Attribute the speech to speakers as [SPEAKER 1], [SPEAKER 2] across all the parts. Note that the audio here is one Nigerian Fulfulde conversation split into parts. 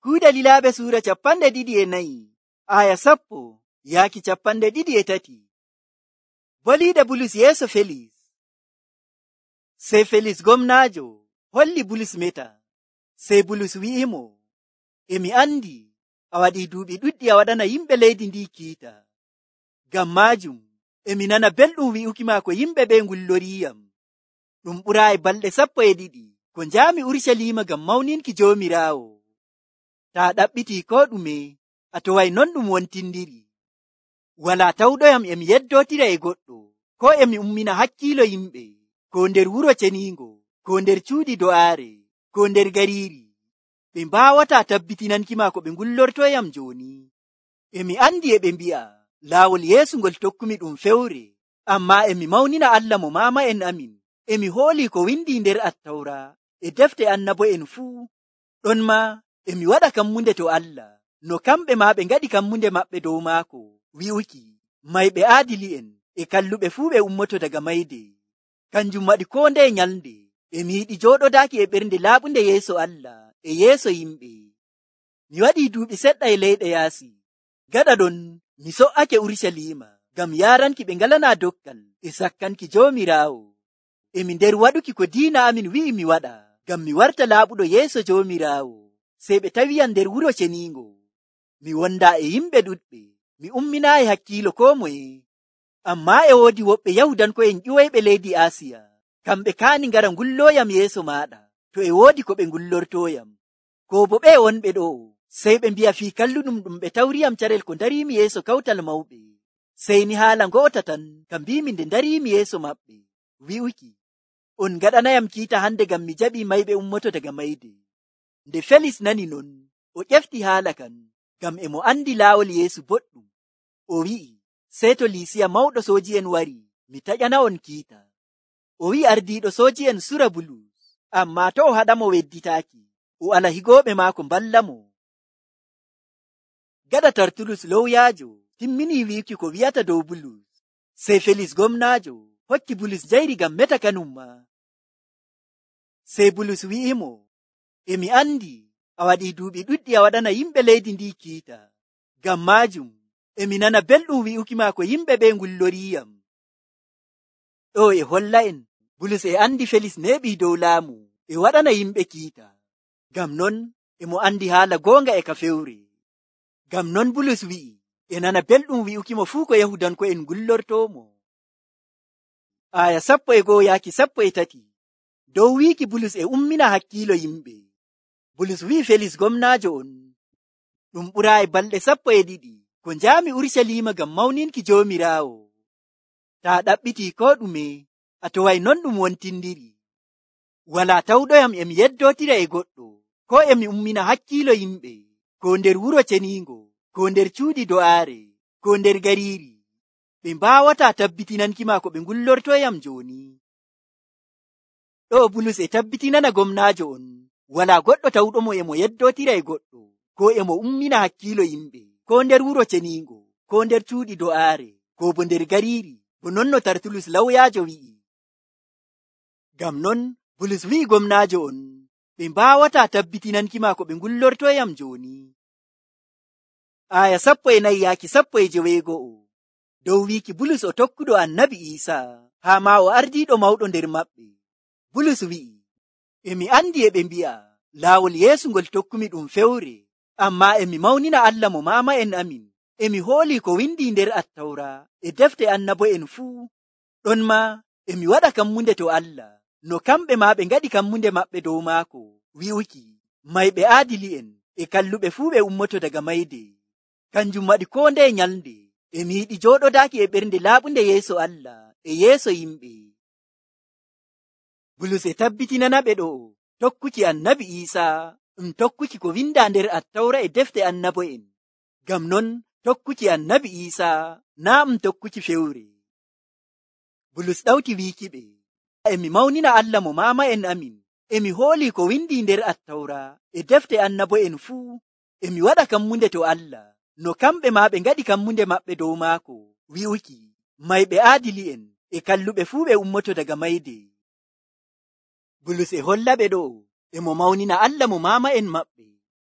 [SPEAKER 1] Kuuɗe Lilaaɓe suura 24 aya 10-23. Boliiɗe Bulus yeeso Felis. Sey Felis gomnaajo holli Bulus meta. Sey Bulus wi'imo, mi andi a waɗii duuɓi ɗuɗɗi a waɗana yimɓe leydi ndi kiita. Ngam maajum mi nana belɗum wi'uki ma ko yimɓe ɓe ngulloriyam. Ɗum ɓuraayi balɗe 12 ko njaami Urucaliima ngam mawninki Joomiraawo. Taa ɗaɓɓitii ko ɗume, a toway non ɗum wontindiri. Walaa tawɗoyam mi yeddootira e goɗɗo, ko mi ummina hakkiilo yimɓe, ko nder wuro ceniingo, ko nder cuuɗi do'aare, ko nder gariiri. Ɓe mbaawataa tabbitinanki ma ko ɓe ngullortoyam jooni. Mi andi e ɓe mbi'a laawol Yeesu ngol tokkumi ɗum fewre, ammaa mi mawnina Allah mo maama'en amin. Mi hoolii ko windi nder Attawra e defte annabo'en fuu. Ɗon maa mi waɗa kammunde to Allah, no kamɓe maa ɓe ngaɗi kammunde maɓɓe dow maako, wi'uki mayɓe aadili'en e kalluɓe fuu ɓe ummoto daga mayde. Kanjum waɗi koo ndeye nyalnde mi yiɗi jooɗodaaki e ɓernde laaɓunde yeeso Allah e yeeso yimɓe. Mi waɗii duuɓi seɗɗa e leyɗe yaasi. Gaɗa ɗon mi so'ake Urucaliima ngam yaaranki ɓe ngalanaa dokkal e sakkanki Joomiraawo. Mi nder waɗuki ko diina amin wi'i mi waɗa ngam mi warta laaɓuɗo yeeso Joomiraawo. Sey ɓe tawiyam nder wuro ceniingo. Mi wondaa e yimɓe ɗuɗɓe, mi umminaayi hakkiilo koo moye. Ammaa e woodi woɓɓe Yahudanko'en ƴiwoyɓe leydi Aasiya. Kamɓe kaani ngara ngullooyam yeeso maaɗa to e woodi ko ɓe ngullortooyam. Koo bo ɓe wonɓe ɗo, sey ɓe mbi'a fii kalluɗum ɗum ɓe tawriyam carel ko ndariimi yeeso kawtal mawɓe. Sey ni haala ngo'ota tan ka mbiimi nde ndariimi yeeso maɓɓe, wi'uki on ngaɗanayam kiita hande ngam mi jaɓii mayɓe ummoto daga mayde. Nde Felis nani non, o ƴefti haala kan, ngam mo andi laawol Yeesu boɗɗum. O wi'i, sey to Liisiya mawɗo sooji'en wari, mi taƴana'on kiita. O wi'i ardiiɗo sooji'en sura Bulus, ammaa to o haɗamo wedditaaki, o ala higooɓe maako mballa mo. Gaɗa Tartulus lowyaajo timminii wi'uki ko wi'ata dow Bulus, sey Felis gomnaajo hokki Bulus njayri ngam meta kanum ma. Sey Bulus wi'imo, mi andi a waɗii duuɓi ɗuɗɗi a waɗana yimɓe leydi ndi kiita. Ngam maajum mi nana belɗum wi'uki ma ko yimɓe ɓe ngulloriyam. Ɗo holla en Bulus andi Felis neeɓii dow laamu waɗana yimɓe kiita. Ngam non mo andi haala goonga ka fewre. Ngam non Bulus wi'i nana belɗum wi'uki mo fuu ko Yahudanko'en ngullortoomo. Aya 11-13. Dow wiiki Bulus ummina hakkiilo yimɓe. Bulus wi'i Felis gomnaajo on, ɗum ɓuraayi balɗe 12 ko njaami Urucaliima ngam mawninki Joomiraawo. Taa ɗaɓɓitii ko ɗume, a toway non ɗum wontindiri. Walaa tawɗoyam mi yeddootira e goɗɗo, ko mi ummina hakkiilo yimɓe, ko nder wuro ceniingo, ko nder cuuɗi do'aare, ko nder gariiri. Ɓe mbaawataa tabbitinanki ma ko ɓe ngullortoyam jooni. Ɗo Bulus tabbitinana gomnaajo on, walaa goɗɗo tawɗomo mo yeddootira e goɗɗo, ko mo ummina hakkiilo yimɓe, ko nder wuro ceniingo, ko nder cuuɗi do'aare, ko bo nder gariiri, bo non no Tartulus lawyaajo wi'i. Ngam non Bulus wi'i gomnaajo on, ɓe mbaawataa tabbitinanki ma ko ɓe ngullortoyam jooni. Aya 14-19. Dow wiiki Bulus o tokkuɗo Annabi Iisaa, haa ma o ardiiɗo mawɗo nder maɓɓe. Bulus wi'i, mi andi e ɓe mbi'a laawol Yeesu ngol tokkumi ɗum fewre, ammaa mi mawnina Allah mo maama'en amin. Mi hoolii ko windi nder Attawra e defte annabo'en fuu. Ɗon maa mi waɗa kammunde to Allah, no kamɓe maa ɓe ngaɗi kammunde maɓɓe dow maako, wi'uki mayɓe aadili'en e kalluɓe fuu ɓe ummoto daga mayde. Kanjum waɗi koo ndeye nyalnde mi yiɗi jooɗodaaki e ɓernde laaɓunde yeeso Allah e yeeso yimɓe. Bulus tabbitinana ɓe ɗo tokkuki Annabi Iisaa tokkuki ko windaa nder Attawra e defte annabo'en. Ngam non tokkuki Annabi Iisaa naa tokkuki fewre. Bulus ɗawti wiiki ɓe, mi mawnina Allah mo maama'en amin. Mi hoolii ko windi nder Attawra e defte annabo'en fuu. Mi waɗa kammunde to Allah, no kamɓe maa ɓe ngaɗi kammunde maɓɓe dow maako, wi'uki mayɓe aadili'en e kalluɓe fuu ɓe ummoto daga mayde. Bulus holla ɓe ɗo mo mawnina Allah mo maama'en maɓɓe.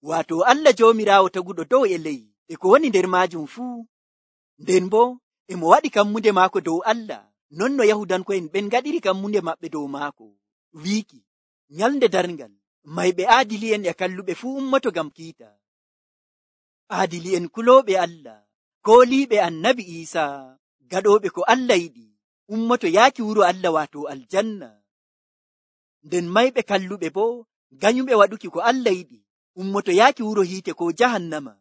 [SPEAKER 1] waato Allah Joomiraawo taguɗo dow e ley e ko woni nder maajum fuu. Nden bo emo waɗi kammunde maako dow Allah, non no Yahudanko'en ɓen ngaɗiri kammunde maɓɓe dow maako, wiiki nyalnde darngal mayɓe aadili'en e kalluɓe fuu ummoto ngam kiita. Aadili'en kulooɓe Allah, kooliiɓe Annabi Iisaa, gaɗooɓe ko Allah yiɗi, ummoto yaaki wuro Allah waato aljanna. Nden mayɓe kalluɓe bo ganyuɓe waɗuki ko Allah yiɗi, ummoto yaaki wuro hiite ko jahannama.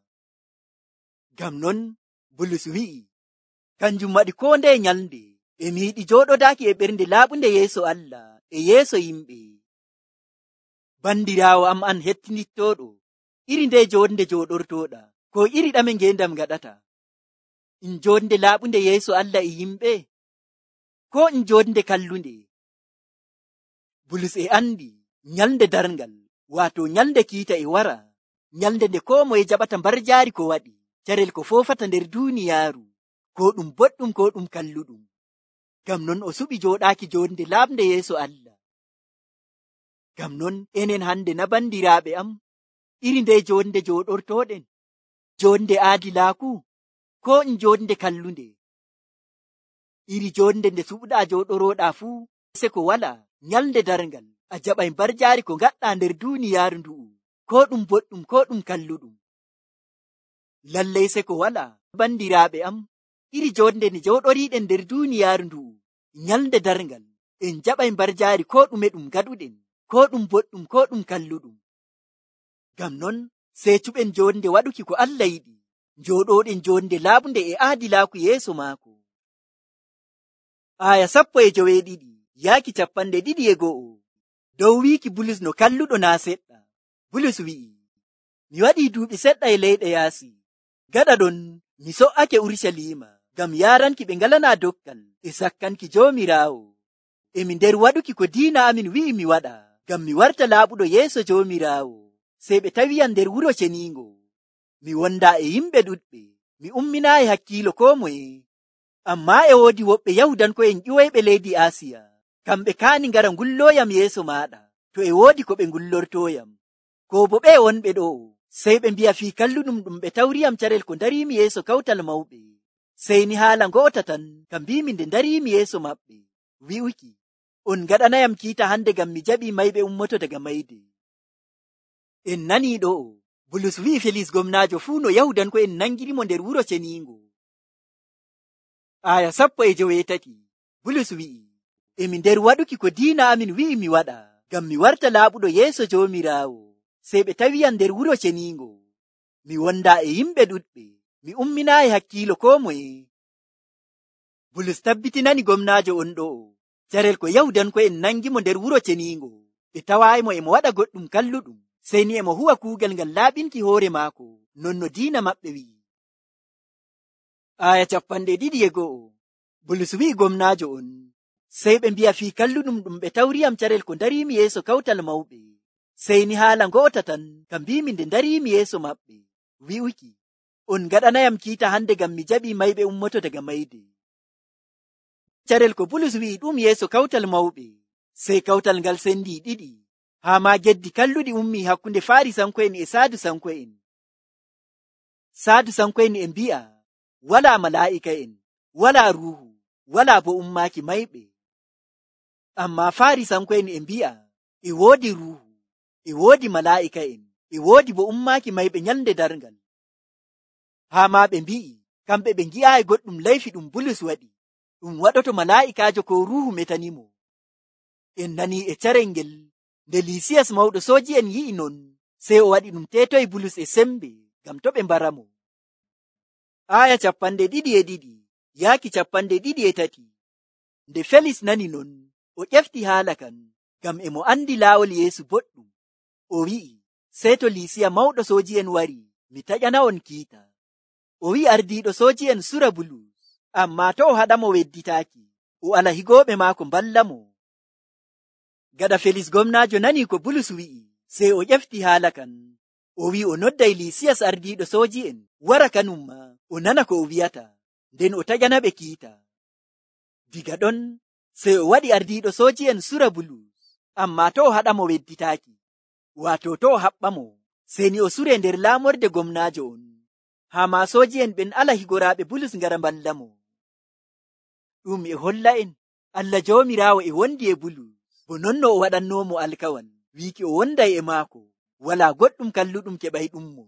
[SPEAKER 1] Ngam non Bulus wi'i, kanjum waɗi koo nde nyalnde emi yiɗi jooɗodaaki e ɓernde laaɓunde yeeso Allah e yeeso yimɓe. Bandiraawo am an hettinittooɗo, iri nde jonde jooɗortooɗa, ko iri ɗame ngendam gaɗata? In jonde laaɓunde yeeso Allah e yimɓe, ko in jonde kallunde? Bulus e andi nyalnde darngal, waato nyalnde kiita e wara, nyalnde nde koo moye jaɓata mbarjaari ko waɗi, carel ko foofata nder duuniyaaru, ko ɗum boɗɗum ko ɗum kalluɗum. Ngam non o suɓi jooɗaaki jonde laaɓnde yeeso Allah. Ngam non enen hande na bandiraaɓe am, iri nde jonde jooɗortoɗen, jonde aadilaaku, ko in jonde kallunde? Iri jonde nde suɓɗaa jooɗoroɗa fuu, se ko wala nyalnde darngal, a jaɓay mbarjaari ko ngaɗɗa nder duuniyaaru ndu'u, ko ɗum boɗɗum ko ɗum kalluɗum. Lallay se ko wala bandiraaɓe am, iri jonde nde jooɗoriɗen nder duuniyaaru ndu'u, nyalnde darngal, en jaɓay mbarjaari ko ɗume ɗum gaɗuɗen, ko ɗum boɗɗum ko ɗum kalluɗum. Ngam non sey cuɓen jonde waɗuki ko Allah yiɗi, jooɗoɗen jonde laaɓunde e aadilaaku yeeso maako. Aya 12 yaaki 21. Dow wiiki Bulus no kalluɗo naa seɗɗa. Bulus wi'i, mi waɗi duuɓi seɗɗa e leyɗe yaasi, gaɗa ɗon mi so'ake Urusalima ngam yaaranki ɓe ngalanaa dokkal e sakkanki Joomiraawo. Emi nder waɗuki ko diina amin wi'i mi waɗa, ngam mi warta laaɓuɗo yeeso Joomiraawo. Sey ɓe tawiyam nder wuro ceniingo. Mi wondaa e yimɓe ɗuɗɓe, mi umminaayi hakkiilo koo moye. Ammaa e woodi woɓɓe Yahudanko'en ƴiwoyɓe leydi Aasiya, kamɓe kaani ngara ngullooyam yeeso maaɗa, to e woodi ko ɓe ngullortooyam. Ko bo ɓe wonɓe ɗo, sey ɓe mbi'a fii kalluɗum ɗum ɓe tawriyam carel ko ndariimi yeeso kawtal mawɓe. Sey ni haala ngo'ota tan ka mbiimi nde ndariimi yeeso maɓɓe, wi'uki, on ngaɗanayam kiita hande ngam mi jaɓii mayɓe ummoto daga mayde. En nanii ɗo'o, Bulus wi'i Felis gomnaajo fuu no Yahudanko'en nangirimo nder wuro ceniingo. Aya 18, Bulus wi'i, emi nder waɗuki ko diina amin wi'i mi waɗa, ngam mi warta laaɓuɗo yeeso Joomiraawo. Sey ɓe tawiyam nder wuro ceniingo. Mi wondaa e yimɓe ɗuɗɓe, mi umminaayi hakkiilo koo moye. Bulus tabbitinani gomnaajo on ɗo'o, carel ko Yahudanko'en nangimo nder wuro ceniingo, ɓe tawaayimo emo waɗa goɗɗum kalluɗum, sey ni emo huwa kuugal ngal laaɓinki hoore maako, non no diina maɓɓe wi'i. Aya 21, Bulus wi'i gomnaajo on, sey ɓe mbi'a fii kalluɗum ɗum ɓe tawriyam carel ko ndariimi yeeso kawtal mawɓe. Sey ni haala ngo'ota tan ka mbiimi nde ndariimi yeeso maɓɓe, wi'uki, on ngaɗanayam kiita hande ngam mi jaɓii mayɓe ummoto daga mayde. Carel ko Bulus wi'i ɗum yeeso kawtal mawɓe, sey kawtal ngal sendi ɗiɗi, haa ma geddi kalluɗi ummi hakkunde Faarisanko'en e Saadusanko'en. Saadusanko'en e mbi'a, walaa malaa'ika'en, walaa ruuhu, walaa bo ummaaki mayɓe. Ammaa Faarisanko'en e mbi'a, e woodi ruuhu, e woodi malaa'ika'en, e woodi bo ummaaki mayɓe nyalnde darngal. Haa ma ɓe mbi'i, kamɓe ɓe ngi'aayi goɗɗum layfi ɗum Bulus waɗi, ɗum waɗoto malaa'ikaajo ko ruuhu metanimo. En nanii e carel ngel, nde Lisiyas mawɗo sooji'en yi'i non, sey o waɗi ɗum teetoyi Bulus e sembe, ngam to ɓe mbaramo. Aya 22 yaaki 23. Nde Felis nani non, o ƴefti haala kan, ngam emo andi laawol Yeesu boɗɗum. O wi'i, sey to Lisiya mawɗo sooji'en wari, mi taƴana on kiita. O wi'i ardiiɗo sooji'en sura Bulus, ammaa to o haɗamo wedditaaki, o ala higooɓe maako mballamo. Gaɗa Felis gomnaajo nani ko Bulus wi'i, sey o ƴefti haala kan. O wi'i o nodday Lisiyas ardiiɗo sooji'en wara kanum ma o nana ko o wi'ata, nden o taƴana ɓe kiita. Diga ɗon sey o waɗi ardiiɗo sooji'en sura Bulus, ammaa to o haɗamo wedditaaki, waato to o haɓɓamo, Seni o sure nder laamorde gomnaajo on, haa maasoji'en ɓen ala higoraaɓe Bulus ngara mballamo. Ɗum e holla en Allah Joomiraawo e wondi e Bulus, bo non no o waɗannoomo alkawal wiiki o wonday e maako, walaa goɗɗum kalluɗum keɓayɗummo.